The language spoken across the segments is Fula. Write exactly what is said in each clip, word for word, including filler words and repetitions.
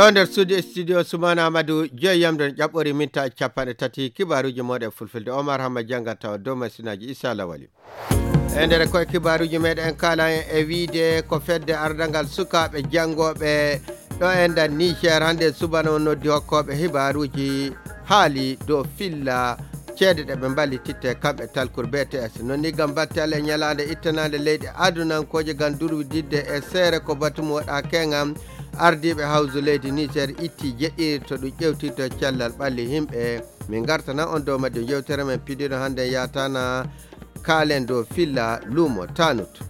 O nder studio, studio Sumana Amadou, joyi yamde no ƴaɓɓori minta capanɗe tati, kibaaruuji mooɗon e fulfulde. Omar Hamma janngat tawa dow masinaaji Issa Lawali. E nder koye kibaaruuji meɗen en kaala en e wiide ko fedde ardangal sukaaɓe janngooɓe ɗo e nder Niger hannde subana o noddi hokkooɓe hibaaruuji haali dow filla ceede ɗe ɓe mballititte kamɓe talkur B T S. Non ni gam batte Allah e ñalaande ittanaande leyɗe adunankooje gam durwididde e seere ko batu mo waɗa keŋam ardiiɓe hawsu leydi Niger itti jeɗɗiri to ɗum ƴewtirto cellal ɓalli yimɓe. Min ngartana on dow majjum yewtere men pidiɗo hannde yaatana kaalen dow filla luumo Tanut.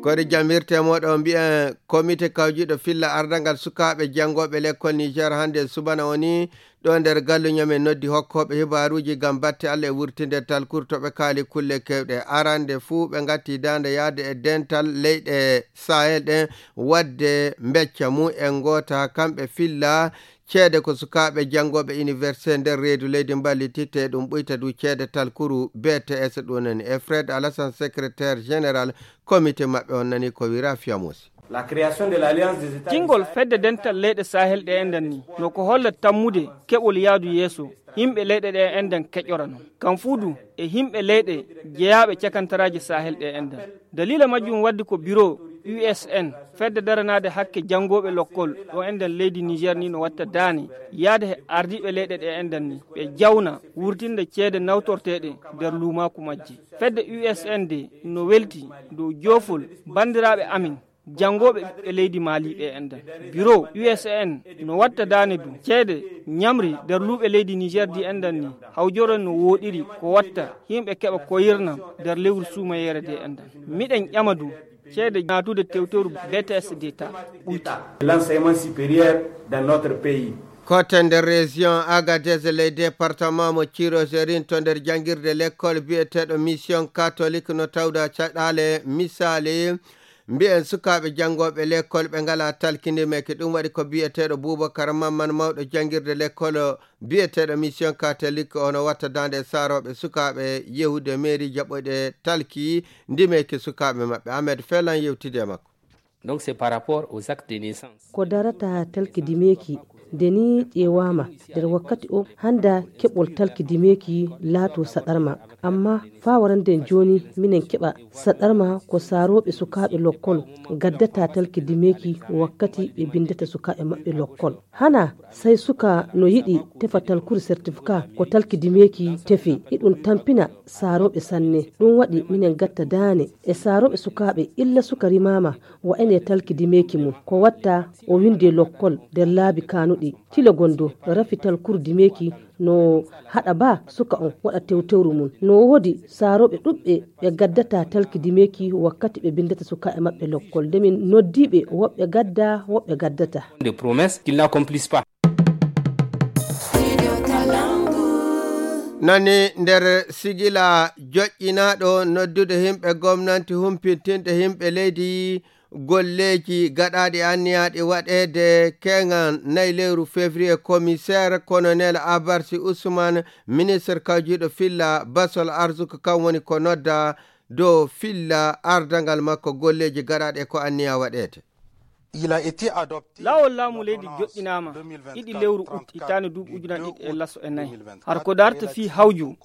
Koɗe jamirte moɗo mbiyen komite kawjiɗo filla ardangal sukaaɓe janngooɓe lekkol Niger hannde subana woni ɗo nder galluño men noddi hokkooɓe hibaaruuji gam batte Allah e wurtinde talkur to ɓe kaali kulle kewɗe. Arande fuu ɓe ngatti daande yaade e dental leyɗe Sahel ɗen wadde mbecca mum en ngoota kamɓe filla ceede ko sukaaɓe janngooɓe université nder reedu leydi mballititte ɗum ɓuyta du ceede talkuru B T S ɗum nani. E Fred Alassane, secrétaire général comité maɓɓe on nani ko wira Fiamosi. La création de l'Alliance des États du Jingol Sahel. Fedde dental leyɗe Sahel ɗe enɗan ni no ko holla tammude keɓol yaadu yeeso yimɓe leyɗe ɗe enɗan keƴora non. Kam fuu du e yimɓe leyɗe jeyaaɓe cakantaraaji Sahel ɗe enɗan. Daliila majjum waddi ko biro U S N, fedde daranaade hakke janngooɓe lokkol ɗo enɗan leydi Niger ni no watta daane yaade he ardiiɓe leyɗe ɗe enɗan ni ɓe jawna wurtinde ceede nawtorteeɗe nder luumaaku majje. Fedde U S N de no welti dow joofol banndiraaɓe amin janngooɓe ɓiɓɓe leydi Mali ɓe enɗan. Biro U S N no watta daane du ceede ñamri nder luuɓe leydi Niger di enɗan ni hawjoro no wooɗiri ko watta yimɓe keɓa koyirnam nder lewru suumayeere de enɗan. Miɗen ƴama du ceede naatude tewtoru B T S de ta ɓuyta. L'enseignement supérieur dans notre pays. Kote nder région Agadez ley département mo Tirozerin to nder janngirde lekkol biyeteeɗo mission catholique no tawda caɗaale misaali mbiyen sukaaɓe janngooɓe lekkol ɓe ngalaa talkindimeke. Ɗum waɗi ko biyeteeɗo Boubacar Mamman mawɗo janngirde lekkol biyeteeɗo mission catholique ono watta daande e saarooɓe sukaaɓe yehude mairie jaɓoyɗe talki ndimeke sukaaɓe maɓɓe. Ahmed Felan yewtidi e makko. Donc c'est par rapport aux actes de naissance. Ko darata talki dimeeki nde ni ƴeewaama nder wakkati o hannda keɓol talki dimeeki laato saɗarma. Amma faa waranden jooni minen keɓa saɗarma ko saarooɓe sukaaɓe lokkol gaddata talki dimeeki wakkati ɓe binndata sukaaɓe maɓɓe lokkol. Hana sai suka no yiɗi tefa talkuru certificat ko talki dimeeki tefi. Iɗum tampina saarooɓe sanne. Ɗum waɗi minen gatta daane e saarooɓe sukaaɓe illa suka rimaama wa ene talki dimeeki mum. Ko watta o winde lokkol nder laabi kanuɗi. Tile gondo rafi talkuru dimeeki no haɗa ba suka on waɗa tewtewru mum. No woodi saarooɓe ɗuɓɓe ɓe gaddata talki dimeeki wakkati ɓe bindata sukaaɓe maɓɓe lokkol. Nde min noddiiɓe woɓɓe gadda, woɓɓe gaddata. De promesses qu'ils n'accomplissent pas. Nani nder sigila joƴƴinaaɗo noddude yimɓe gomnanti humpintinɗe yimɓe leydi golleeji gaɗaaɗi anniyaaɗi waɗeede keŋan nayi lewru février, commissaire colonel Abarsi Ousmane, ministre kawjiiɗo filla basol arsuka, kan woni ko nodda dow filla ardangal makko golleeji gaɗaaɗi e ko anniya waɗeede. Il a été adopté. Laawol laamu leydi joɗɗinaama ɗiɗi lewru ut hitaande duuɓi ujunaaji ɗiɗi e laso e nayi. Har ko darta fii hawju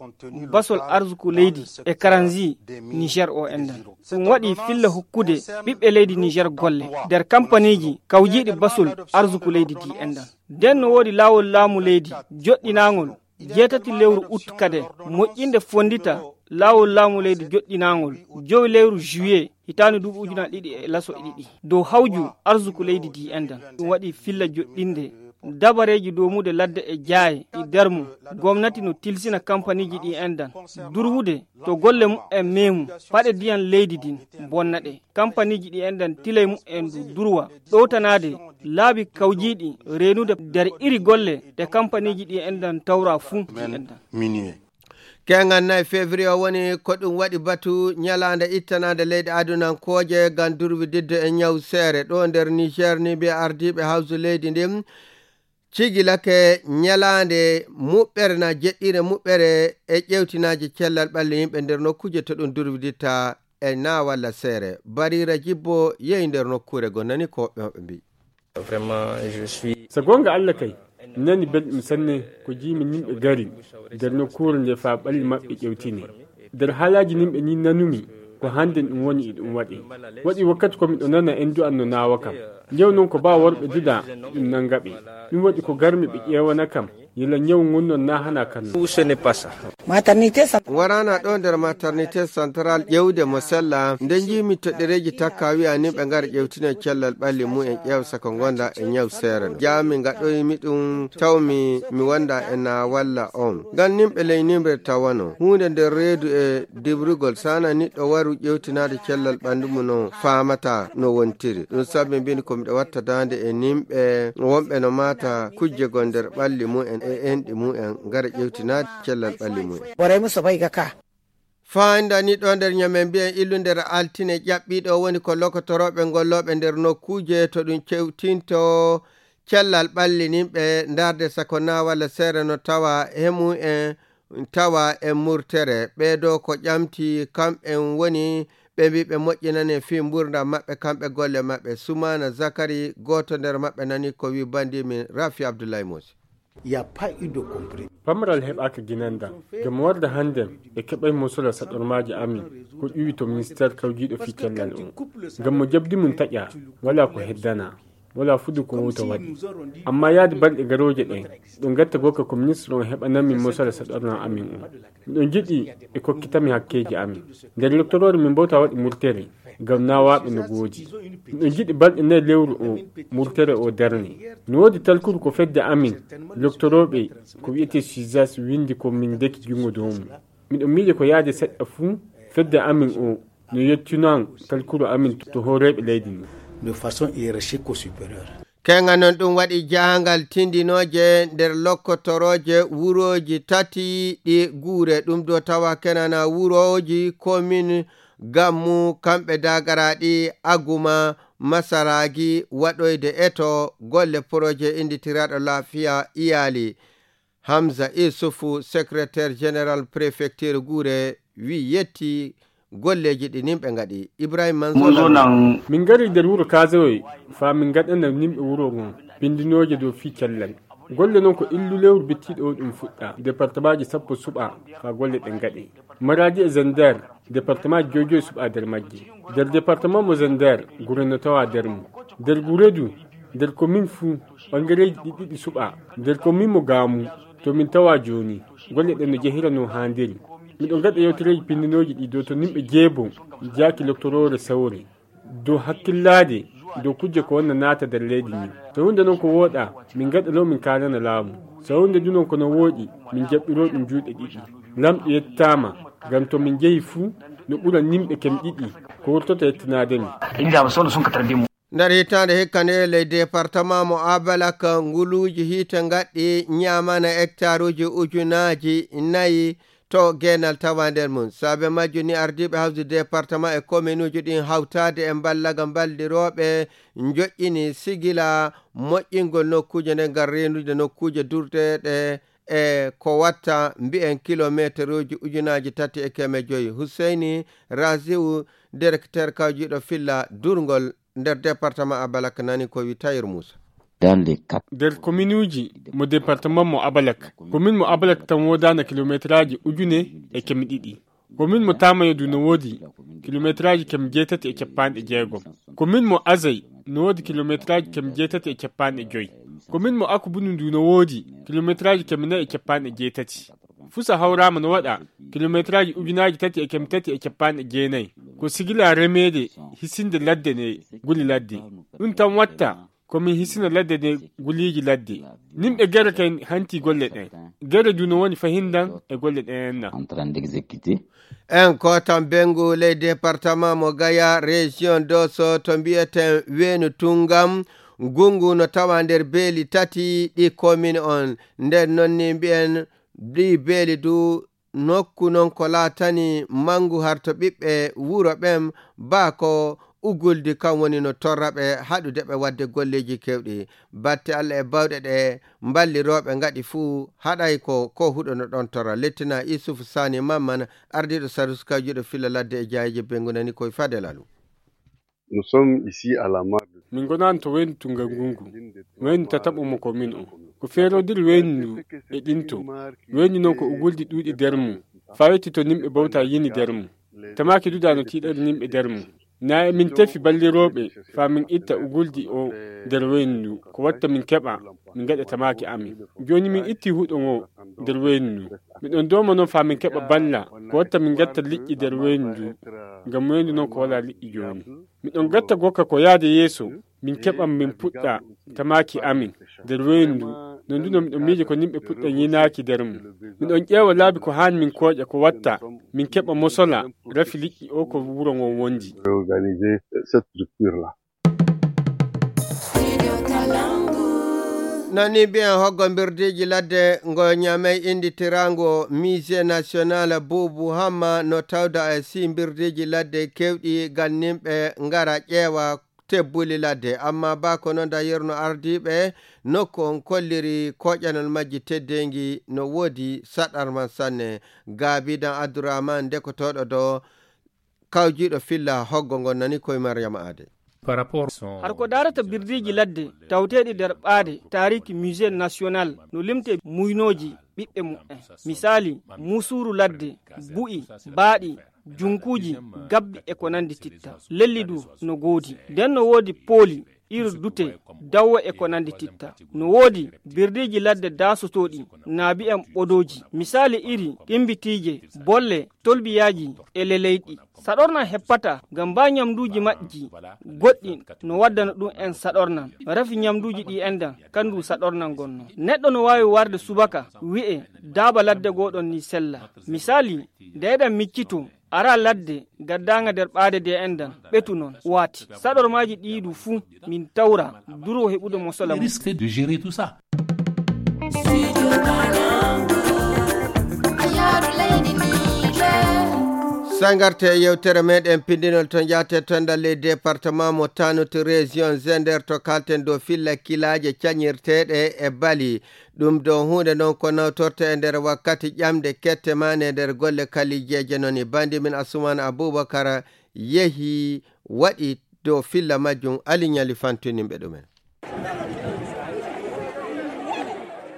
basol arsuku leydi e karanzi Niger o enɗan. Ɗum waɗi filla hokkude ɓiɓɓe leydi Niger golle nder kampaniiji kawjiiɗi basol arsuku leydi di enɗan. Nden no woodi laawol laamu leydi joɗɗinaangol jeetati lewru ut kade moƴƴinde fonndita laawol laamu leydi joɗɗinaangol jowi lewru juillet hitaande duuɓi ujunaaji ɗiɗi e laso e ɗiɗi dow hawju arsuku leydi di enɗan. Ɗum waɗi filla joɗɗinde dabareeji doomude ladde e jaaye ɗi nder mum gomnati no tilsina kampaniiji ɗi enɗan durwude to golle mumen meemu paɗe ndiyan leydi din bonna ɗe. Kampaniiji ɗi enɗan tilay mumen du durwa ɗowtanaade laabi kawjiiɗi reenude nder iri golle ɗe kampaniiji ɗi enɗan tawra fuu ɗi enɗan. Minuit. Keŋan nayi février o woni ko ɗum waɗi batu ñalaande ittanaande leyɗe adunankooje ngam durwididde e ñaw seere. Ɗo nder Niger ni mbiya ardiiɓe hawsu leydi ndin cigilake ñalaande muɓɓere na jeɗɗire muɓɓere e ƴewtinaaji cellal ɓalli yimɓe nder nokkuuje to ɗum durwiditta e na walla seere. Barira Jibbo yehi nder nokkuure goo nani ko woɓɓe maɓɓe mbiyi. So goonga Alla kay, mi nani belɗum sanne ko jiimi nimɓe gari nder nokkuure nde faa ɓalli maɓɓe ƴewtine. Nder haalaaji nimɓe ni nanumi ko hannde ɗum woni e ɗum waɗe. Waɗi wakkati ko miɗo nana en du'an no naawa kam. Njew noon ko baa worɓe duda ɗum nannga ɓe. Ɗum waɗi ko garmi ɓe ƴeewana kam yila ñaw ngun noon na hana kan noon. Waraana ɗo nder maternité central ƴewde mo sella nde njiimi toɗɗereeji takka wiya ni ɓe ngara ƴewtino cellal ɓalli mumen ƴeew sako gonda e ñaw seere no jaami ngaɗoymi ɗum tawmi mi wonda e na walla on ngam nimɓe ley nimre tawano huunde nder reedu e dibrugol sana niɗɗo waru ƴewtinaade cellal ɓanndu mum no faamata no wontiri ɗum sabi mbin ko miɗo watta daande e nimɓe wonɓe no maata kujje gon nder ɓalli mumen e enɗi mumen ngara ƴewtinaade cellal ɓalli mumen. Borai musu bai ga ka. Fayndani ɗo nder ñamen mbiyen illu nder altine ƴaɓɓiiɗo woni ko lokotorooɓe ngollooɓe nder nokkuuje to ɗum cewtinto cellal ɓallininɓe ndaarde sako na walla seere no tawa he mumen tawa e murtere ɓeeɗo ko ƴamti kamɓen woni ɓe mbi ɓe moƴƴinane fii mburdam maɓɓe kamɓe golle maɓɓe. Sumaana Zakari gooto nder maɓɓe nani ko wi banndi min Rafi Abdullahi Mosi. Pamaral heɓaaka ginanda ngam warde hannden ɓe keɓay mosora saɗormaaji amin ko ƴuwi to ministeer kawjiiɗo fii cellal on ngam mo jabdi mum taƴa walaa ko heddana walaa fudu ko wowta waɗi. Amma yaade balɗe garooje ɗen ɗo gatta goka ko ministre on heɓanan min mosora saɗornaa amin on. Miɗo jiɗi ɓe kokkita mi hakkeeji amin. Nder loktoroore min mbawta waɗi murtere ngam naawaaɓe no goodi. Miɗo jiɗi balɗe nayi lewru o murtere o darne. No woodi talkuru ko fedde amin loktorooɓe ko wiyetee sizas winndi ko min ndeki junngo dow mum. Miɗo miije ko yaade seɗɗa fuu fedde amin o no yettinan talkuru amin to hooreeɓe leydi ndin. De façon hiérarchique au supérieur. Kenga noon ɗum waɗi jahangal tindinooje nder lokkotorooje wurooji tati ɗi guure ɗum do tawa kenana wurooji komin gammu kamɓe dagaraaɗi aguma masaraagi waɗoyde eto golle poroje innditiraaɗo laafiya iyaali. Hamza Isufu, secrétaire général préfecture Guure, wi yetti golleeji ɗi nimɓe ngaɗi. Ibrahima Manzo Lamine. Min ngari nder wuro Kaazawe faa min ngaɗana nimɓe wuro ngon pinndinooje dow fii cellal. Golle non ko illu lewru bittiiɗo o ɗum fuɗɗa. Departemaaji sappo suɓa faa golle ɗen ngaɗe. Maraadi e Zender, departemaaji joy joy suɓa nder majje. Nder departement mo Zender, Gure no tawa nder mum. Nder Gure du, nder komin fuu, ɓangareeji ɗi ɗiɗi suɓa. Nder komin mo Gaamu, to min tawa jooni, golle ɗen no jehira no haandiri. Miɗo ngaɗa yewtereeji pinndinooji ɗi dow to nimɓe jeebo njaaki loktoroore sawre. Dow hakkillaade dow kujje ko wonna naata nder leydi ndin. So huunde non ko wooɗa, min ngaɗanoo min kaalana laamu. So huunde du non ko no wooɗi, min jaɓɓiroo ɗum juuɗe ɗiɗi. Lamɗo yettaama, ngam to min njehi fuu, no ɓura nimɓe kem ɗiɗi ko wurtota yettinaade mi. Nder hitaande hikka nde ley departement mo Abalak nguluuji hiite ngaɗɗi ñaamana hectaruuji ujunaaji nayi to geenal tawa nder mum. Saabe majjum ni ardiiɓe hawdi departement e kominuuji ɗin hawtaade e mballaga mballirooɓe njoƴƴini sigila moƴƴingol nokkuuje nden ngam reenude nokkuuje durdeeɗe e ko watta mbiyen kilomeeteruuji ujunaaji tati e keme joyi. Huseyni Raziu, directeur kawjiiɗo filla durngol nder departement Abalak nani ko wi Tayir Muusa. Nder kominuuji mo departement mo Abalak, komin mo Abalak tan woodaana kilomeeteraaji ujune e keme ɗiɗi. Komin mo Tamayo du no woodi kilomeeteraaji keme jeetati e cappanɗe jeegom. Komin mo Azay no woodi kilomeeteraaji keme jeetati e cappanɗe joy. Komin mo Akubunu du no woodi kilomeeteraaji keme nayi e cappanɗe jeetati. Fusa hawraama no waɗa kilomeeteraaji ujunaaji tati e keme tati e cappanɗe jeenayi. Ko sigila remeede hisinde ladde nde guli ladde. Ɗum tan watta ko min hisina ladde nde guliiji ladde. Nimɓe gere kay hanti golle ɗen. Gere du no woni fahindan e golle ɗen enna. En kotan bengu ley departement mo Gaya, région Dosso, to mbiyeten Weenu Tungam, ngungu no tawa nder beeli tati ɗi commune on. Nden non ni mbiyen ɗi beeli du nokku non ko laatani mangu har to ɓiɓɓe wuro ɓen baa ko uguldi kan woni no torra ɓe haɗude ɓe waɗde golleeji kewɗi. Batte Alla e bawɗe ɗe mballirooɓe ngaɗi fuu haɗay ko ko huɗo no ɗon torra. Lettina Isufu Sani Mamman, ardiiɗo Sarus kawjuɗo filla ladde e jaayeeje bengu nani koye Fadel Alu. Nous sommes ici à la mare de Min ngonaano to weendu to ngangungu. Weendu tataɓo mo ko min o. Ko feerodir weendu e ɗinto. Weendu noon ko uguldi ɗuuɗi nder mum. Faa yetti to nimɓe bawta yini nder mum. Tamaaki duda no tiiɗari nimɓe nder mum. Na e min tefi ballirooɓe faa min itta uguldi o nder weendu. Ko watta min keɓa, min ngaɗa tamaaki amin. Jooni min itti huɗo ngo nder weendu. Miɗon dooma noon faa min keɓa balla. Ko watta min ngatta liƴƴi nder weendu. Ngam weendu noon ko walaa liƴƴi jooni. Miɗon gatta gokka ko yaade yeeso, min keɓan min puɗɗa tamaaki amin nder weendu, non duno miɗon miije ko nimɓe puɗɗa yinaaki nder mum. Miɗon ƴeewa laabi ko haani min kooƴa ko watta, min keɓa mosola, rafi liƴƴi o ko wuro ngon wondi. Nani mbiyen hoggo mbirdiiji ladde ngo ñamey innditiraango Musée National Boubou Hamma no tawda e si mbirdiiji ladde keewɗi ganninɓe ngara ƴeewa tebbuli ladde. Amma ba ko noon da yerno ardiiɓe nokku on kolliri koƴanol majji teddeengi no woodi saɗarman sanne. Gaabidan Abdourahmane ndekotooɗo do kawjiiɗo filla hoggo ngon nani koye Mariama Aade. Har ko daarata birdiiji ladde tawteeɗi nder ɓaade taariki Musée National no limte muynooji ɓiɓɓe mu'en. Misaali, musuuru ladde, bu'i, baaɗi, junkuuji, gabbi e ko nandi titta. Lelli du no goodi. Nden no woodi pooli, iri dute, dawwe e ko nandi titta. No woodi birdiiji ladde daasotooɗi, na bi'en ɓodooji. Misaali iri ɗimbitiije, bolle, tolbiyaaji e leleyɗi. Saɗornan heppata ngam mbaa ñamduuji majji goɗɗi no waddana ɗum en saɗornan. Rafi ñamduuji ɗi endan, kandu saɗornan gonno. Neɗɗo no waawi warde subaka, wi'e, daaba ladde gooɗon ni sella. Misaali, nde eɗen miccito, ara ladde gaddaanga nder ɓaade de endan, ɓetu non, waati. Saɗormaaji ɗi du fuu, min tawra, duro heɓude mosola mum. Risque de gérer tout ça. Sangarte yewtere meɗen pindinol to njaate to ndalli département mo Tanut région Zender to kalten dow filla kilaaje cañirteeɗe e bali. Ɗum ɗo huunde noon ko nawtorte e nder wakkati ƴamde kette maa ne nder golle kalijeeje noon e bandi min Asuman Abubakar yehi waɗi dow filla majjum Ali Ñali fantuninɓe ɗumen.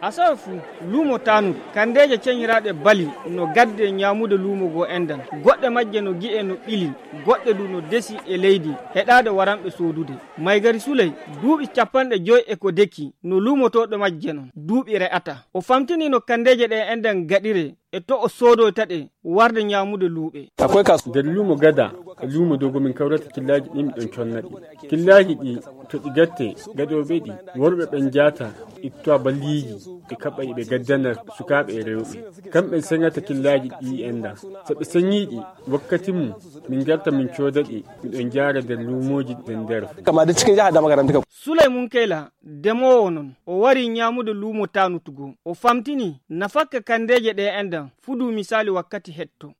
Asawe fuu, luumo Tanut, kandeeje ceñiraaɗe bali no gadde ñaamude luumo goo endan. Goɗɗe majje no gi'e no ɓili, goɗɗe du no desi e leydi, heɗaade waranɓe soodude. Maygari Suley, duuɓi capanɗe joy e ko deki, no luumotooɗo majje non, duuɓi re'ata. O famtini no kandeeje ɗe endan gaɗire, e to o soodoyta ɗe warde ñaamude luuɓe. Nder luumo Gada e luumo Dogo min kawrata killaaji ɗi miɗon conna ɗi. Killaaji ɗi to ɗi gatte gadooɓe ɗi worɓe ɓen jaata ittowa balliiji ɓe kaɓɓa ɓe gaddana sukaaɓe e rewɓe. Kamɓe seŋata killaaji ɗi enda. So ɓe seŋii ɗi wakkati mum min garta min cooda ɗi miɗon jaara nder luumooji ɗen nder. Kama da cikin jihar da makarantu ka. Suley Munkayla demoowo non o wari ñaamude luumo Tanut goo. O famtini nafakka kandeeje ɗe endan fuu du misaali wakkati hetto.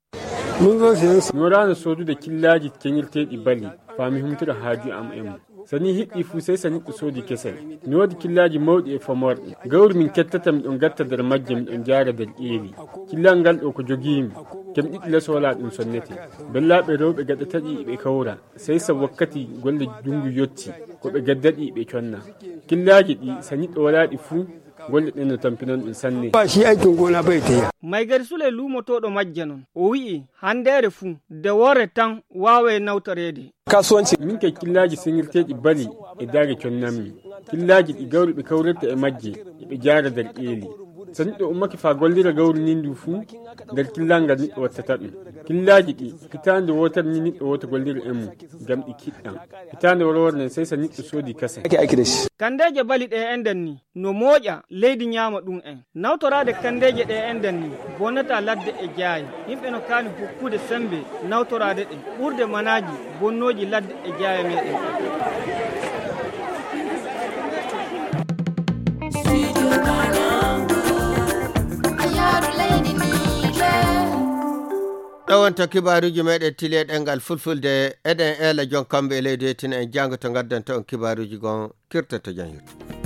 Mi waraano soodude killaaji ceŋirteeɗi bali faa mi humtira haaju am e mum. So nii hiɗɗi fuu sey so neɗɗo soodi kesel. Mi woodi killaaji mawɗi e famorɗi. Gawri min kettata miɗon gatta nder majje miɗon jaara nder ƴeeli. Killal ngal ɗo ko jogiimi. Kemɗiɗi les wala ɗum sonnete. Bellaaɓe rewɓe gaɗata ɗi ɓe kawra. Sey so wakkati golle junngu yotti ko ɓe gadda ɗi ɓe conna. Killaaji ɗi so neɗɗo walaa ɗi fuu golle ɗen no tampinon ɗum sanne. Ba shi aikin gona bai ta yi. Maygari Suley luumotooɗo majje non, o wi'i, handeere fuu, de worre tan waaway nawtoreede. Kasuwanci. Min kay killaaji seŋirteeɗi bali e daage connammi. Killaaji ɗi gawri ɓe kawrirta e majje, e ɓe jaara nder ƴeeli. So neɗɗo ummake faa gollira gawri ndin du fuu, nder killal ngal neɗɗo wattata ɗum. Killaaji ɗi, hitaande wootere ni neɗɗo wooto gollira e mum, ngam ɗi kiɗɗam. Hitaande worwore nden sey so neɗɗo soodi kasen. Ake aiki da shi. Kandeeje bali ɗe enɗen ni, no mooƴa leydi ñaama ɗum en. Nawtoraade kandeeje ɗe enɗen ni, bonnataa ladde e jaaye. Yimɓe no kaani hokkude semmbe nawtoraade ɗe, ɓurde manaaji bonnooji ladde e jaaye meeɗen. Ɗo wonto kibaaruuji meeɗen tili e ɗemngal fulfulde, eɗen eela jon kamɓe e leydi hetin en janngo to ngaddanto on kibaaruuji gon kirtoto jan hirto.